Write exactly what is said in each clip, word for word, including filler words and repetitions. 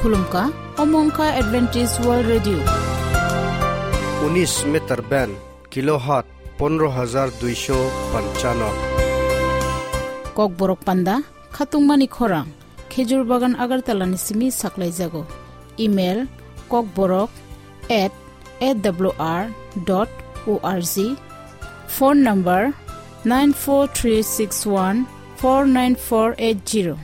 Khulumkha, omo wngkha Adventist World Radio. Unis meter band, kilohertz pondro hajar duisho panchano. Kokborok panda, khatungmani khorang, Khejur Bagan Agartala ni simi saklaijago. Email, kokborok at A W R dot O R G. Phone number, nine four three six one four nine four eight zero.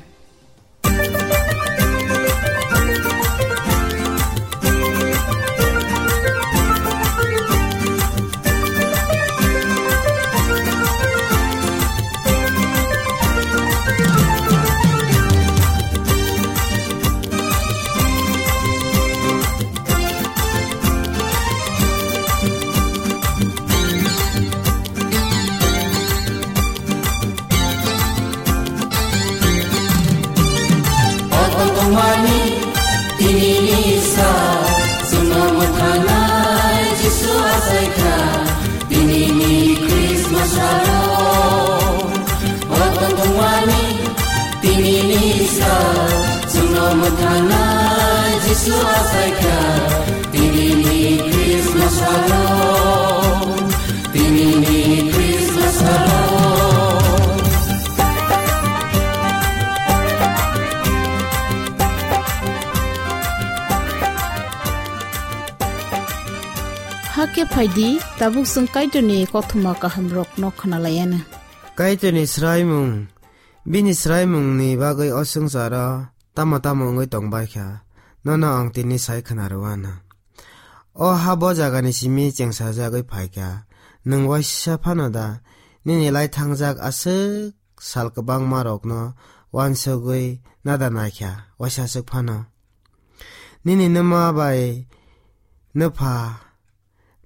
Tini ni sa, chwngno mwthangnai Jisu achaikha. Tini ni Christmas aro. O tongmani, tini ni sa, chwngno mwthangnai Jisu achaikha. Tini ni Christmas aro. Tini ni Christmas aro. Hakhe phaidi, tabuk chwng Kaitorni kothoma kahamrokno khwnalaiana. Kaitorni swraimung, bini swraimungni bagwi o swngcharo tamo tamo wngwi tongbaikha, nono ang tini sai khwnarwano. O ha bo jagani simi chengsajagwi phaikha, nwng waisa phano da nini lai thangjak aswk sal kwbangmarokno uansugwi nada naikha, waisa aswk phano. Nini nwma bai nwpha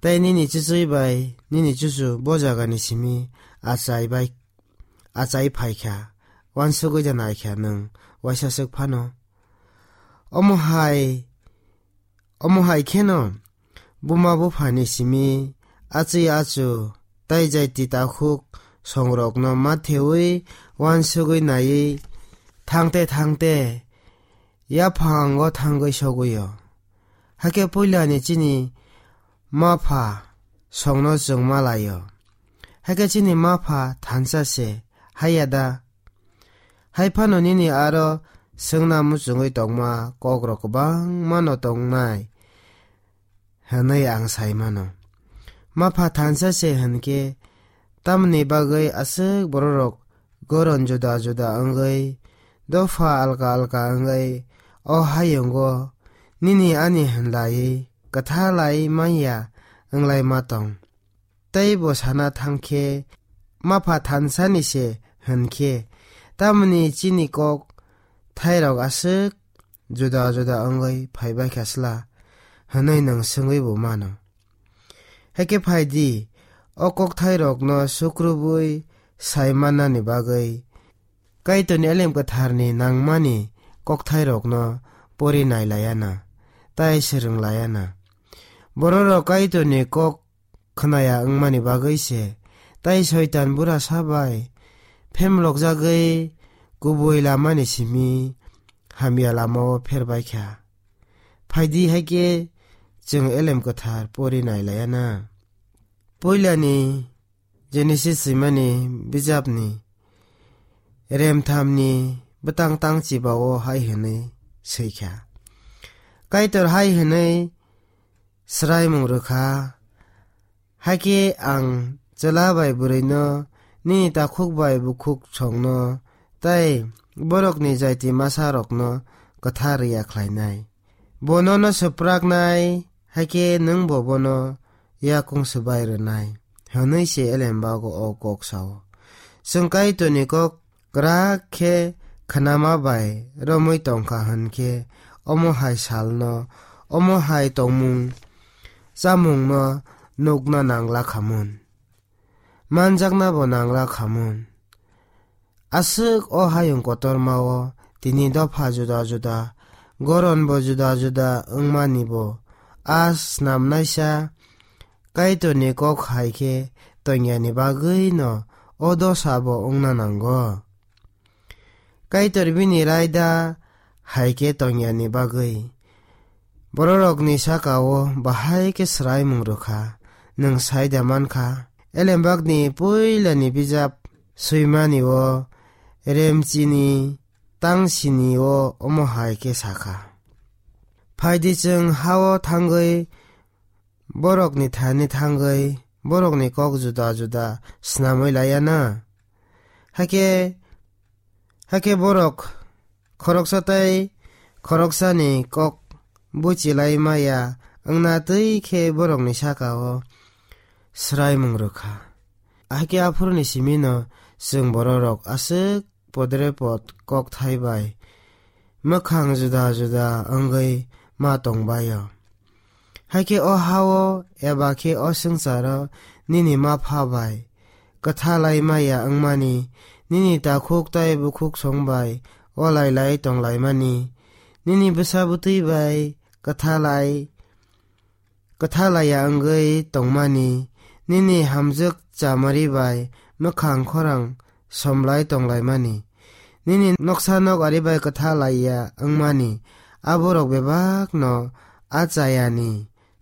tei nini chuchwi bai nini chuchu bo jagani simi achai bai, achai phaikha, uansugwi da naikha nwng waisa aswk phano. Omo hai, omo hai kheno buma buphani simi achwi achu tei jaiti takhuk songrokno matheui uansugwi naiwi thangte thangte yaphango thangwi sogwi-o. Hakhe puilani chini mapha songno chwng malaio. Hakhe chini mapha thansa se, haiya da? Hai phano nini aro swngna muchungwi tongma kokrok kwbangmano tongnai hwnwi ang sai mano. Mapha thansa se hwnkhe, tamni bagwi aswk bororok goron juda juda wngwi, dopha alka alka wngwi o hayungo nini ani hwnlaiwi kwthalai manya wnglaima tong? Tei bo sana thangkhe, mapha thansani se hwnkhe, tamni chini kok thairok aswk juda juda wngwi phaibaikha sla? Hwnwi nwng swngwi bo mano. Hakhe phai di, o kokthairokno sukrubwi sai mannani bagwi Kaitorni Elem Kwtharni nangmani kokthairokno pori nai laiya na, tai swrwng laiya na. Bororok Kaitorni kok khnaya wngmani bagwi se, tai Soitan burasa bai phemlokjagwi kubui lamani simi hamya lamao pherbaikha. Phaidi hai khe chwng Elem Kwthar pori nai laiya na. Puilani Genesis swimani bijapni remthamni bwtang tang chibao hai hwnwi swikha, Kaitor hai hwnwi swraimung rwkha, Hakhe ang chwla bai bwrwino, nini takhuk bai bukhuk songno tei borokni jaiti masarokno kwthar ya khlainai. Bo nono swpraknai, hakhe nwng bo bono yakung swbai rwnai, hwnwi se elembago o kok sao. Chwng Kaitorni kok kwrak khe khnama bai romwi tongkha hwn khe, omo hai salno, omo hai tongmung chamungno nukna nangla khamun, manjaknabo nangla khamun. Aswk o hayung kotormao tini dopha juda juda, goronbo juda juda wngmanibo a snamnaisa Kaitorni kok hai khe tongyani bagwino o dosabo wngna nango. Kaitor bini raida hai khe tongyani bagwi bororokni saka-o bahai khe swraimung rwkha. Nwng sai da mankha, Elembakni puilani bijap swimani-o Remchini tangsini-o omo hai khe sakha: Phaidi chwng ha-o thangwi borokni thani thangwi borokni kok juda juda snamwi laiya na. Hakhe, hakhe borok khoroksa tei khoroksani kok buchilai maya wngna twi khe borokni saka-o swraimung rwkha. Hakhe aphuruni simino chwng bororok aswk podrepot kokthai bai mwkhang juda juda wngwi ma tongbaio. Hakhe o ha-o eba khe o swngcharo nini ma pha bai kwthalai maya wngmani, nini takhuk tei bukhuk song bai o lailai tonglaimani, nini bwsa bwtwi bai kwthalai kwthalaiya wngwi tongmani, nini hamjwk chamari bai mwkhang khorang somlai tonglaimani, nini noksa nok ari bai kwthalaiya wngmani, aborok bebakno a chayani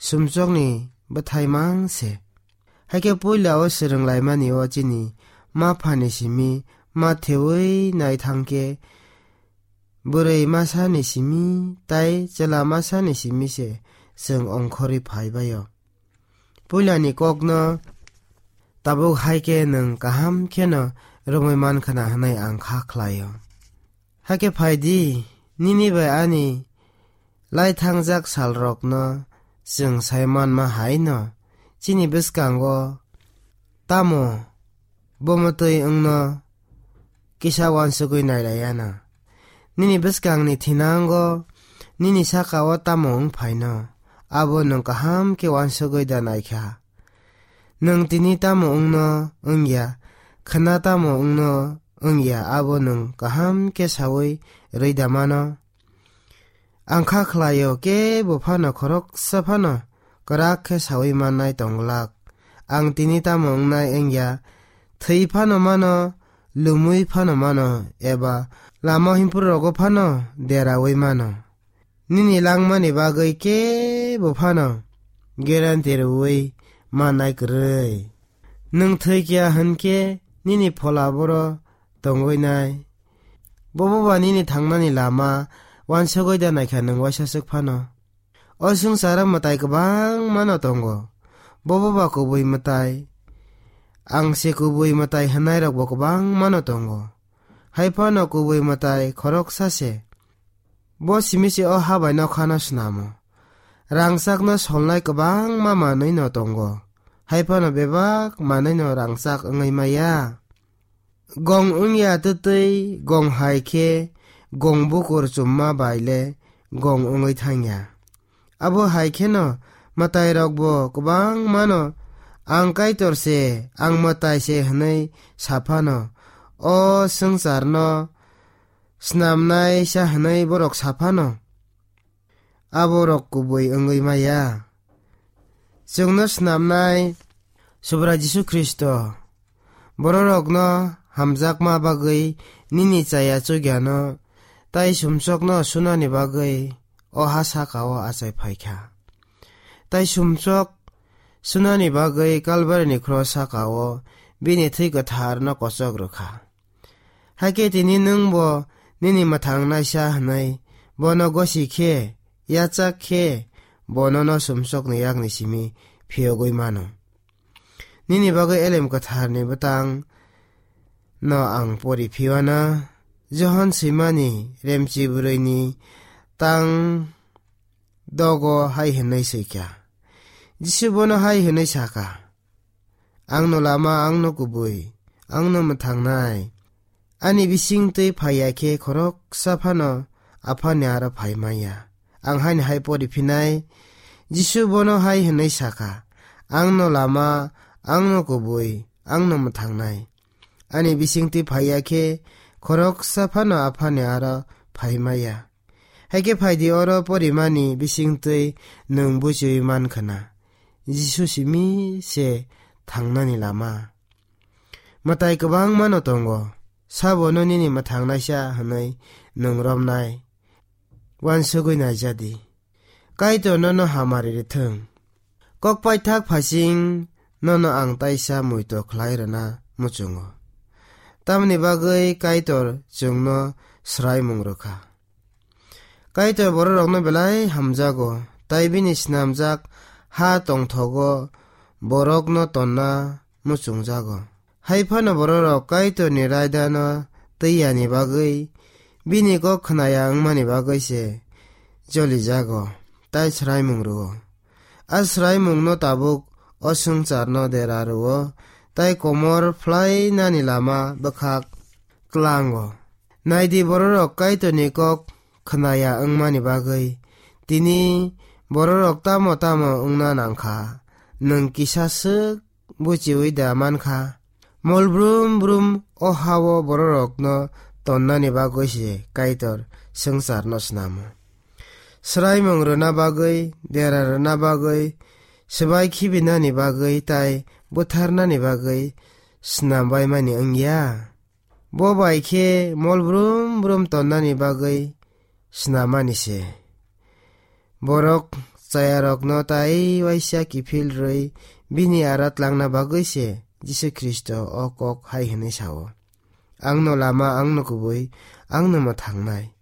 sumsokni bwthai mang se. Hakhe puila-o swrwnglaimani-o chini ma phani simi ma thewi nai thang khe bwrwi masani simi tai chwla masani simi se chwng ongkhorwi phaibaio. Puilani kokno tabuk hai khe nwng kaham kheno romwi mankha na hwnwi ang kha khlaio. Hakhe phai di, nini bai ani lai thangjak salrokno chwng sai manma hai no chini bwskango tamo bomotwi wngno kisa uansugwi nailaiya na. Nini bwskangni thinango nini saka-o tamo wng phaino, abo nwng kaham khe uansugwi da naikha. Nwng tini tamo wngno wngya, khwna tamo wngno wngya, abo nwng kaham khe saui rwi da mano. Ang kha khlaio, kebo phano khoroksa phano kwrak khe saui mannai tong glak. Ang tini tamo wngnai wngya, thwi phano mano, lumui phano mano, eba lama himphuru rogo phano deraui mano. Nini langmani bagwi kebo phano guarantee rwui mannai kwrwi. Nwng thwi kiya hwn khe nini phola boro tongwi nai. Bobo ba nini thangnani lama uansugwi da naikha nwng uaisa swk phano. O swngcharo mwtai kwbangmano tongo. Bobo ba kubui mwtai. Ang se kubui mwtai hwnairokbo kwbangmano tongo. Hai phano kubui mwtai khoroksa se. Bo simi se o ha bai nokhano snamo. Rangchakno solnai kwbangma manwino tongo. Hai phano bebak manwino rangchak wngwi maya. Gong wngya twtwi gong hai khe gong bukur chumma bai le gong wngwi thangya. Abo hai kheno mwtairokbo kwbangmano, "Ang Kaitor se, ang mwtai se," hwnwi sa phano, o swngcharno snamnaisa hwnwi borok sa phano, aborok kubui wngwi maya. Chwngno snamnai Subrai Jisu Khristo bororokno hamjakma bagwi nini chaya chugyano tai sumsokno sunani bagwi o ha saka-o achai phaikha. Tai sumsok sunani bagwi Kalbarini khro saka-o bini thwi kwtharno kochok rwkha. Hakhe tini nwngbo nini mwthangnaisa hwnwi bono gosi khe, yachak khe, bo nono sumsokni yakni simi phiyogwi mano. Nini bagwi Elem Kwtharni bwtang no ang pori phiwana, Johon swimani remchi bwrwini tang dogo hai hwnwi swikha. Jisu bono hai hwnwi sakha, "Angno lama, angno kubui, angno mwthangnai. Ani bisingtwi phaiya khe khoroksa phano Aphani aro phai manya." Ang haini hai pori phinai, Jisu bono hai hwnwi sakha, "Angno lama, angno kubui, angno mwthangnai. Ani bisingtwi phaiya khe khoroksa phano Aphani aro phai maya." Hai khe phai di, oro porimani bisingtwi nwng buchiui man khna, Jisu simi se thangnani lama. Mwtai kwbangmano tongo, sabono nini mwthangnaisa hwnwi nwng romnai. uansugwi naijadi. Kaitor nono hamari rithwng. Kok paithak phaising nono ang taisa muitu khlai rwna muchungo. Tamoni bagwi Kaitor chwngno swraimung rwkha. Kaitor bororokno belai hamjago, tai bini snamjak ha tongthogo borokno tonna muchungjago. Hai phano bororok Kaitorni raidano twi yani bagwi, bini kok khnaya wngmani bagwi se jolijago, tai swraimung rwo. A swraimungno tabuk o swngcharno dera rwo, tai komor phlainani lama bwkhak tlango. Naidi, bororok Kaitorni kok khnaya wngmani bagwi tini bororok tamo tamo wngna nangkha. Nwng kisa swk buchiui da mankha? Mol brum brum o hao bororokno tonnani bagwi se Kaitor swngcharno snamo. Swraimung rwna bagwi, dera rwna bagwi, swbai khibinani bagwi tai butharnani bagwi snambaimani wngya. Bo bai khe mol brum brum tonnani bagwi snamani se. Borok chayarokno tai waisa kiphil rwi bini ara tlangna bagwi se Jisu Khristo o kok hai hwnwi sao, "Angno lama, angno kubui, angno mwthangnai."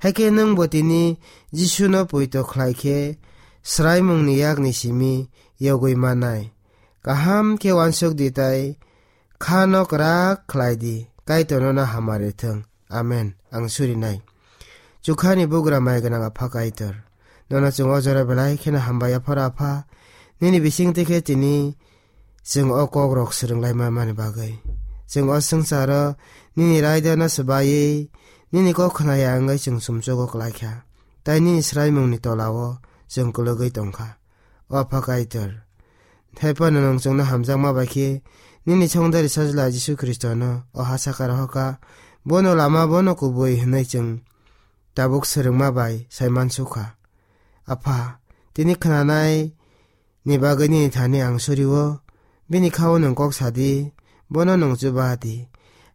Hakhe nwngbo tini Jisuno poito khlai khe swraimungni yakni simi yogwi mannai. Kaham khe uansuk di tai khano kwrak khlai di, Kaitor nono hamari thung. Amen. Ang surinai. Chukhani bugra mai gwnang Apha Kaitor, nono chwng o jora belai kheno hambai yapharo Apha. Nini bisingtwi khe tini chwng o kokrok swrwng lai manmani bagwi. Chwng o swngcharo nini raidano swbaiwi, nini kok khnaya wngwi chwng sumsogo klaikha, tai nini swraimungni tolao chwng kwlwgwi tongkha. O Apha Kaitor, hai phano nwng chwngno hamjakma bai khe nini Songdari Sajla Jisu Khristono o ha saka rohorkha. Bono lama, bono kubui hwnwi chwng tabuk swrwngma bai sai mansukha. Apha, tini khnanai ni bagwi nini thani ang surio, bini khao nwng kok sa di, bono nwng chuba di.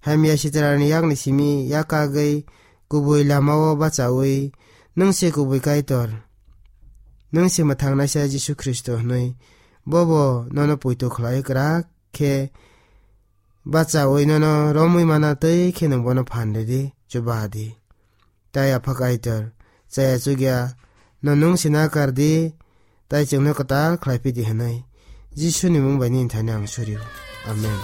Hamya sitrani yakni simi yakagwi kubui lamao bachaui nwng se kubui Kaitor, nwng se mwthangnaisa Jisu Khristo hwnwi bobo nono poito khlai kwrak khe bachaui nono romwi mana twi khe nwng bono phan ridi, chuba di. Tai Apha Kaitor, chaya chukya no nwng sina kar di, tai chwngno kwtal khlai phi di hwnwi Jisuni mung bai nini thani ang surio. Amen.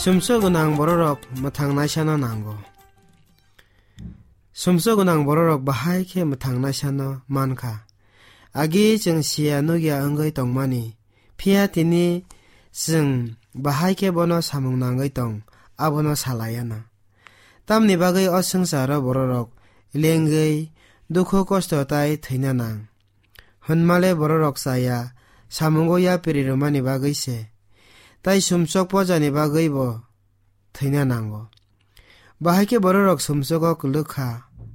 Sumsok gwnang bororok mwthang naisano nango. Sumsok gwnang bororok bahai khe mwthang naisano mankha. Agi chwng siya nukya wngwi tongmani, phiya tini chwng bahai khe bono samung nangwi tong, abono salaiya na. Tamni bagwi o swngcharo bororok lengwi dukhu kosto tai thwina nang. Hwnmale bororok chaya samungo yapri rwmani bagwi se, tai sumsok pojani bagwi bo thwina nango. Bahai khe bororok sumsogo kwlwk kha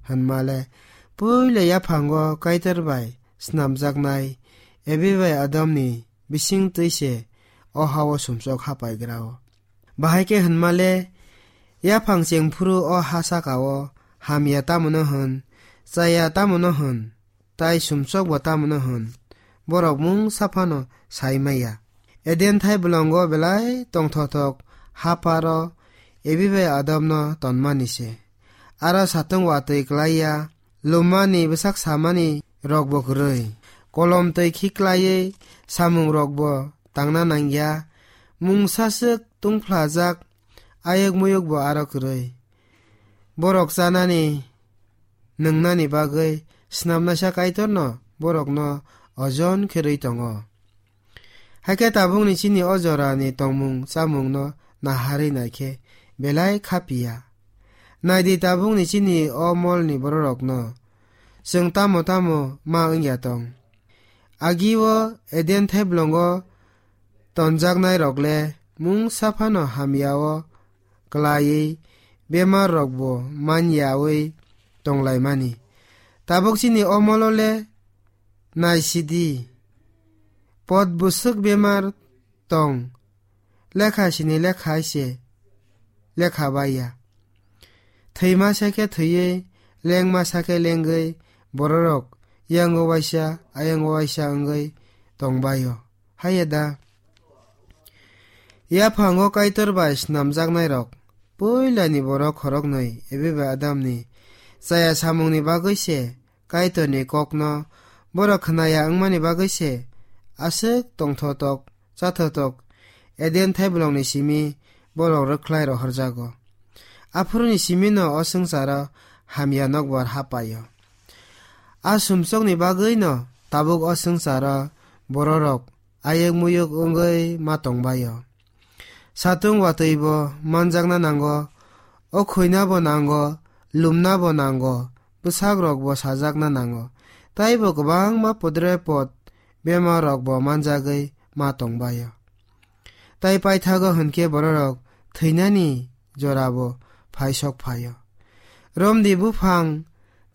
hwnmale, puila yaphango Kaitor bai snamjaknai Evi bai Adamni bising twi se o ha-o sumsok hapaigrao. Bahai khe hwnmale, yaphang chengphuru o ha saka-o hamya tamono hwn, chaya tamono hwn, tai sumsokbo tamono hwn, borok mungsa phano sai maya. Eden thai bolongo belai tongthokthok hapharo Evi bai Adamno tonmani se. Aro satung watwi klai ya, lumani bwsak samani rokbo kwrwi. Kolom twi khiklaiwi samung rokbo tangna nangya, mungsa swk tungphlajak ayuk muyukbo aro kwrwi. Borok chanani nwngnani bagwi snamnaisa Kaitorno borokno ojon khe rwi tongo. Hakhe tabukni chini o jorani tongmung chamungno naharwi naikhe belai kha piya. Naidi, tabukni chini o molni bororokno chwng tamo tamo ma wngya tong. Agi-o Eden thaiblongo tonjaknairok le mungsa phano hamya-o klaiwi bemarrokbo manyawi tonglaimani. Tabuk chini omolo le naisidi, pot bwswk bemar tong, lekha sini lekha hai se lekha bai ya. Thwima sa khe thwiwi, lengma sa khe lengwi, bororok yango waisa, ayango waisa wngwi tongbaio. Haiya da? Yaphango Kaitor bai snamjaknairok, puilani borok khoroknwi, ebe bai Adamni chaya samungni bagwi se, Kaitorni kokno borok khnaya wngmani bagwi se aswk tongthotok, chathotok Eden thaiblongni simi borok rwkhlai rohorjago. Aphuruni simino o swngcharo hamya nokbar hapaio. A sumsokni bagwino tabuk o swngcharo bororok ayuk muyuk wngwi ma tongbaio. Satung watwibo manjakna nango, o khuinabo nango, lumnabo nango, bwsakrokbo sajakna nango, taibo kwbangma pudre pod bemarrokbo manjagwi ma tongbaio. Tai paithago hwnkhe bororok thwinani jorabo phaisok phaio. Romdi buphang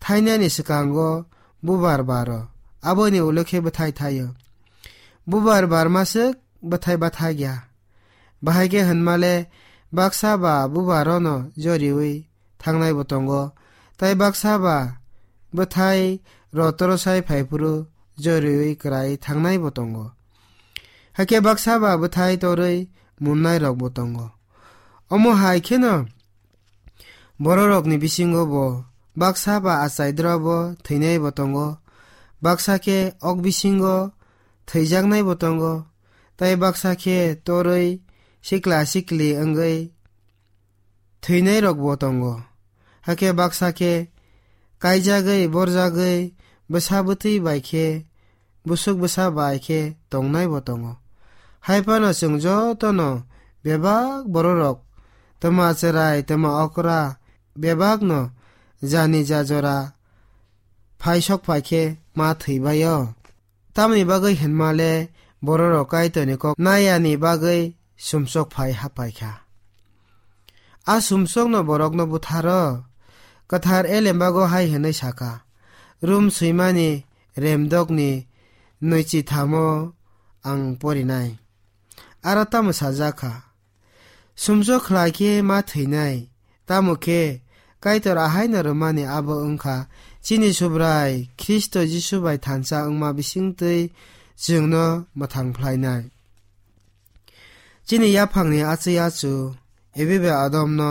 thainani swkango bubar baro, aboni ulo khe bwthai thaio. Bubar barmaswk bwthai bathagya. Bahai khe hwnmale baksa ba bubarono joriwi thangnaibo tongo, tai baksa ba bwthai rotorosai phaiphuru joriwi kwrai thangnaibo tongo. Hakhe baksa ba bwthai torwi munnairokbo tongo. Omo hai kheno bororokni bisingo bo baksa ba achai drobo thwinaibo tongo, baksa khe ok bisingo thwijaknaibo tongo, tai baksa khe torwi sikla sikli wngwi thwinairokbo tongo. Hakhe baksa khe kaijagwi, borjagwi, bwsa bwtwi bai khe, bwswk bwsa bai khe tongnaibo tongo. Hai phano chwng jotono bebak bororok, twma chwrai, twma okra, bebakno jani ja jora phaisok phai khe ma thwibaio. Tamni bagwi hwnmale bororok Kaitorni kok nayani bagwi sumsok phai hapaikha. A sumsokno borokno butharo. Kwthar elembago hai hwnwi sakha, Rum swimani remdokni nwichi thamo ang porinai. Aro tamo sajak kha? Sumsok khlai khe ma thwinai. Tamo khe Kaitor ahaino rwmani abo wngkha, chini Subrai Khristo Jisu bai thansa wngma bisingtwi chwngno mwthang phlainai. Chini yaphangni achwi achu, ebe bai Adomno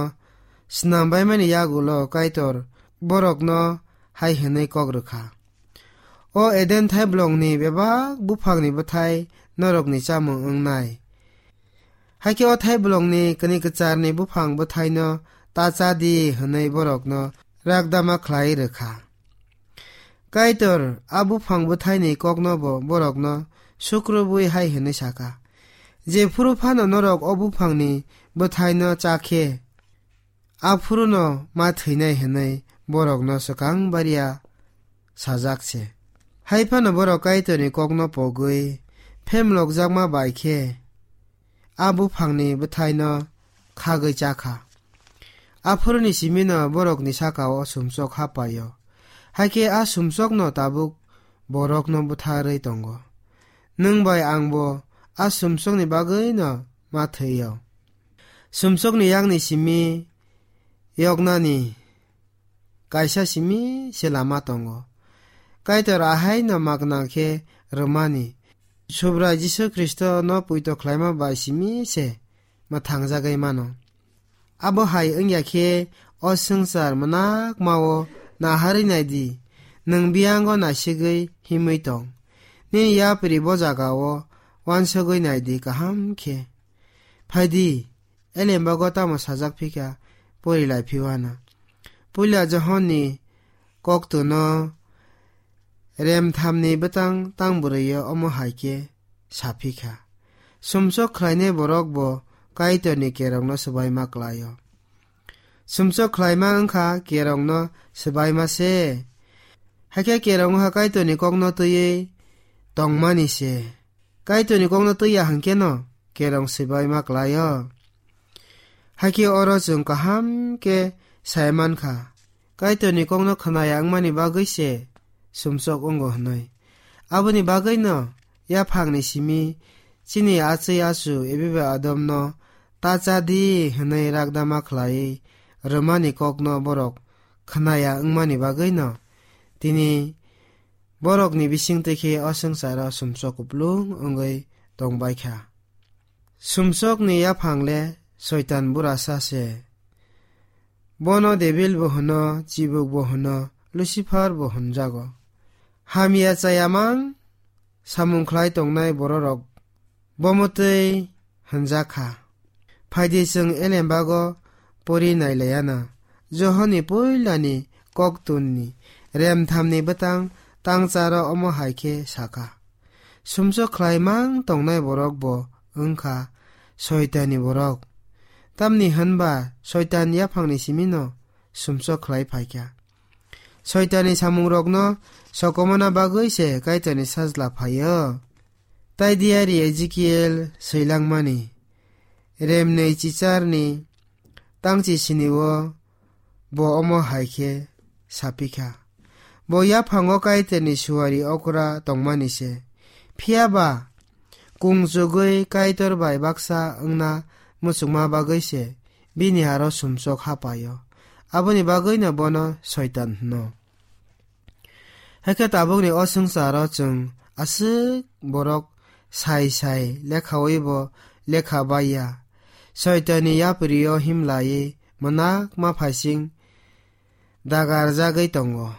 snam baimani yagulo Kaitor borokno hai hwnwi kok rwkha, "O Eden thaiblongni bebak buphangni bwthai norokni chamung wngnai. Hakhe o thaiblongni kani kwcharni buphang bwthaino ta cha di," hwnwi borokno rakdama khlai rwkha. Kaitor a buphang bwthaini koknobo borokno sukrubwi hai hwnwi sakha, "Jephuru phano norok o buphangni bwthaino cha khe, aphuruno ma thwinai," hwnwi borokno swkang baria sajak se. Hai phano borok Kaitorni kokno pogwi phemlokjakma bai khe a buphangni bwthaino khagwi cha kha. Aphuruni simino borokni saka-o sumsok hapaio. Hakhe a sumsokno tabuk borokno butharwi tongo. Nwng bai angbo a sumsokni bagwino ma thwio. Sumsokni yakni simi yoknani kaisa simi se lama tongo. Kaitor ahaino magna khe rwmani, Subrai Jisu Khristono poito khlaima bai simi se mwthangjagwi mano. Abo hai wngya khe o swngchar mwnakma-o naharwi nai di, nwng biyango naisigwi himwi tong. Nini yapri bo jaga-o uansugwi nai di kaham khe. Phai di, elembago tamo sajak phi kha, pori lai phi uana. Puila Johonni koktwno remthamni bwtang tang bwrwi-o omo hai khe sa phi kha, Sumsok khlainai borok bo Kaitorni kerongno swbaima klai-o. Sumsok khlaima wng kha kerongno swbaima se. Hakhe kerong wng kha Kaitorni kokno twiwi tongmani se. Kaitorni kokno twi ya hwnkhe no kerong swbai ma klai-o. Hakhe oro chwng kaham khe sai man kha, Kaitorni kokno khwnaya wngmani bagwi se sumsok wngo hwnwi. Aboni bagwino yaphangni simi chini achwi achu Eva bai Adomno ta cha di hwnwi rakdama khlaiwi rwmani kokno borok khwnaya wngmani bagwino tini borokni bisingtwi khe o swngcharo sumsok kuplung wngwi tongbai kha. Sumsokni yaphang le Soitan burasa se. Bono Debil bo hwno, Chibuk bo hwno, Lucifer bo hwnjago. Hamya chayamang samung khlai tongnai bororok bomo twi hwnjak kha. Phaidi chwng elembago pori nailayana. Johonni puilani koktunni remthamni bwtang tangcharo omo hai khe sakha, sumsok khlaimang tongnai borok bo wngkha Soitanni borok. Tamni hwnba Soitan yaphangni simino sumsok khlai phaikha. Soitanni samungrokno sokomona bagwi se Kaitorni sajla phaio. Tai diari Ezekiel swilangmani remnwi chicharni tangchi sinio bo omo hai khe sapikha. Bo yaphango Kaitorni suari okra tongmani se. Phiya ba kungchugwi Kaitor bai baksa wngna muchungma bagwi se bini aro sumsok hapaio. Aboni bagwino bono Soitan hwno. Hakhe tabukni o swngcharo chwng aswk borok sai sai lekhawi bo lekha baiya. Soitanni yaprio himlaiwi mwnak ma phaising dagarjagwi tongo.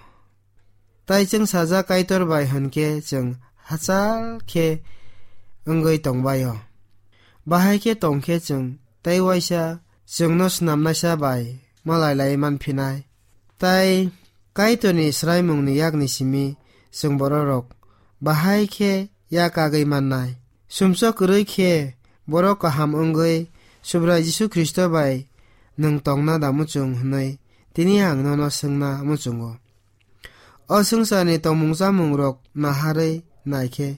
Tai chwng sajak Kaitor bai hwnkhe chwng hachal khe wngwi tongbaio. Bahai khe tongkhe chwng tai waisa chwngno snamnaisa bai malai lai manphinai. Tai Kaitorni swraimungni yakni simi chwng bororok bahai khe yak kagwi mannai. Sumsok kwrwi khe borok kaham wngwi Subrai Jisu Khristo bai nwng tongna da muchung hwnwi tini ang nono swngna muchungo. O swngcharni tongmung chamungrok naharwi naikhe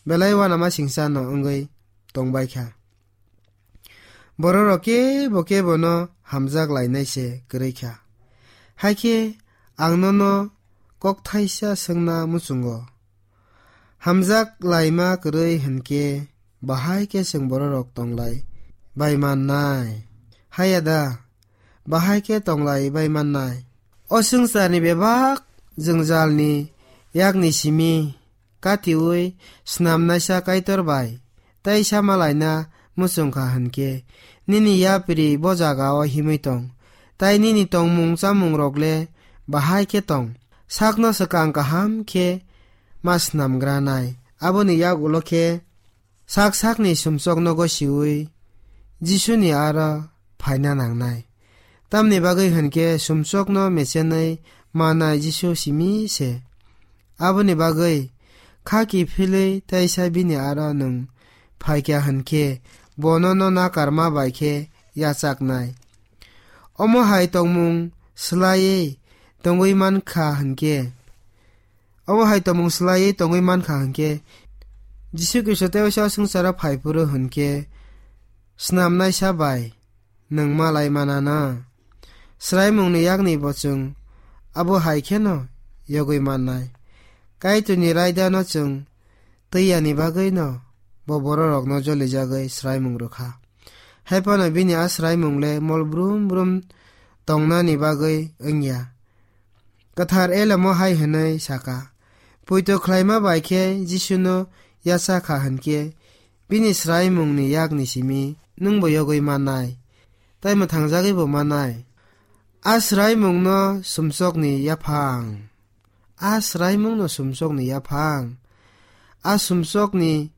belai uanama singcha no wngwi tongbaikha. Bororok kebo kebono hamjak lainai se kwrwi kha. Hakhe ang nono kokthaisa swngna muchungo. Hamjak laima kwrwi hwnkhe bahai khe chwng bororok tonglai bai mannai? Haya da, bahai khe tonglai bai mannai. O swngcharni bebak jwngjalni yakni simi katiui snamnaisa Kaitor bai tai sama laina muchungkha hwnkhe, nini yapri bo jagao himwi tong, tai nini tongmung chamungrok le bahai khe tong. Sakno swkang kaham khe ma snamgranai. Aboni yak ulo khe sak sakni sumsokno gosiui Jisuni aro phaina nangnai. Tamni bagwi hwnkhe sumsokno mechenwi manai Jisu simi se. Aboni bagwi kha kiphilwi taisa bini aro nwng phaikha hwnkhe bono no nakarma bai khe yachaknai. Omo hai tongmung swlaiwi tongwi mankha hwnkhe, omo hai tongmung swlaiwi tongwi mankha hwnkhe, Jisu Khristo tei waisa swngcharo phai phuru hwnkhe snamnaisa bai nwng malai manana. Swraimungni yakni bo chwng abo hai kheno yogwi mannai. Kaitorni raidano chwng twi yani bagwino bo bororokno jolijagwi swraimung rwkha. Haiphano bini a swraimung le mol brum brum tongnani bagwi wngya. Kwthar Elamo hai hwnwi saka, poito khlaima bai khe Jisuno yacha kha hwnkhe, bini swraimungni yakni simi nwngbo yogwi mannai, tai mwthangjagwibo mannai. A swraimungno sumsokni yaphang. A swraimungno sumsokni yaphang. A sumsokni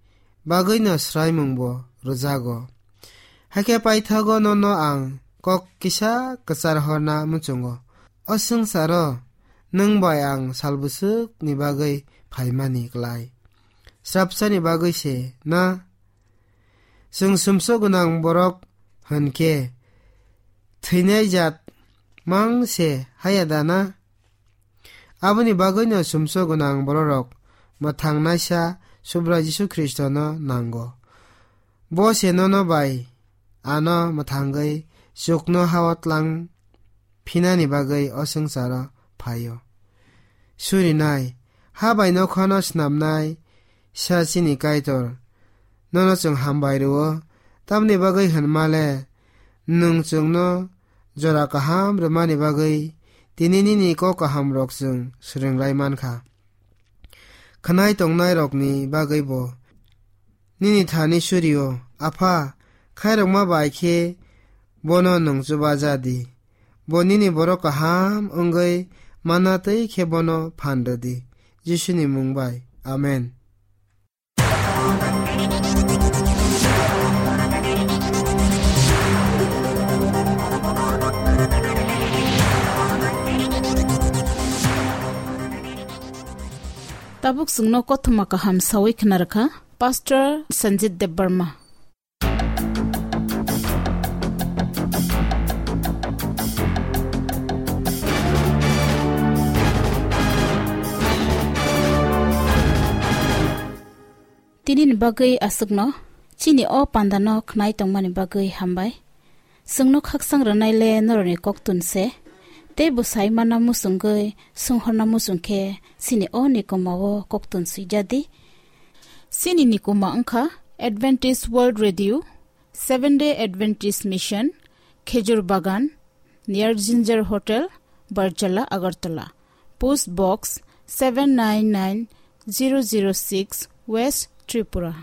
bagwino swraimungbo rwjago. Hakhe paithago nono ang kok kisa kwchar horna muchungo. O swngcharo nwng bai ang salbwswkni bagwi phaimani klai. Srapsani bagwi se na? Chwng sumsok gwnang borok hwnkhe thwinai jat mang se haya da na? Aboni bagwino sumsok gwnang bororok mwthangnaisa Subrai Jisu Khristono nango. Bo se nono bai ano mwthangwi chukno hao tlang phinani bagwi o swngcharo phaio. Surinai, ha bai nokhano snamnai sa chini Kaitor, nono chwng hambai rwo, tamni bagwi hwnmale nwng chwngno jora kaham rwmani bagwi tini nini kok kahamrok chwng swrwng lai mankha. Khwnai tongnairokni bagwi bo nini thani surio, Apha, khairokma bai khe bono nwng chubaja di. Bo nini borok kaham wngwi manna twi khe bono phan rw di. Jisuni mung bai. Amen. Tabuk chwngno kothoma kaham sawi khna rwkha Pastor Sanjit Debbarma. Tini ni bagwi aswkno chini o panda no khnai tongmani bagwi hambai. Chwngno khakchang rwnai le norokni koktun se, tei bwsai mana muchungwi swnghorna muchung khe chini o nikoma o koktun swijadi. Chini nikoma wngkha Adventist World Radio, Seventh Day Adventist Mission, Khejur Bagan, near Ginger Hotel, Barjala, Agartala. Post Box seven nine nine zero zero six, West Tripura.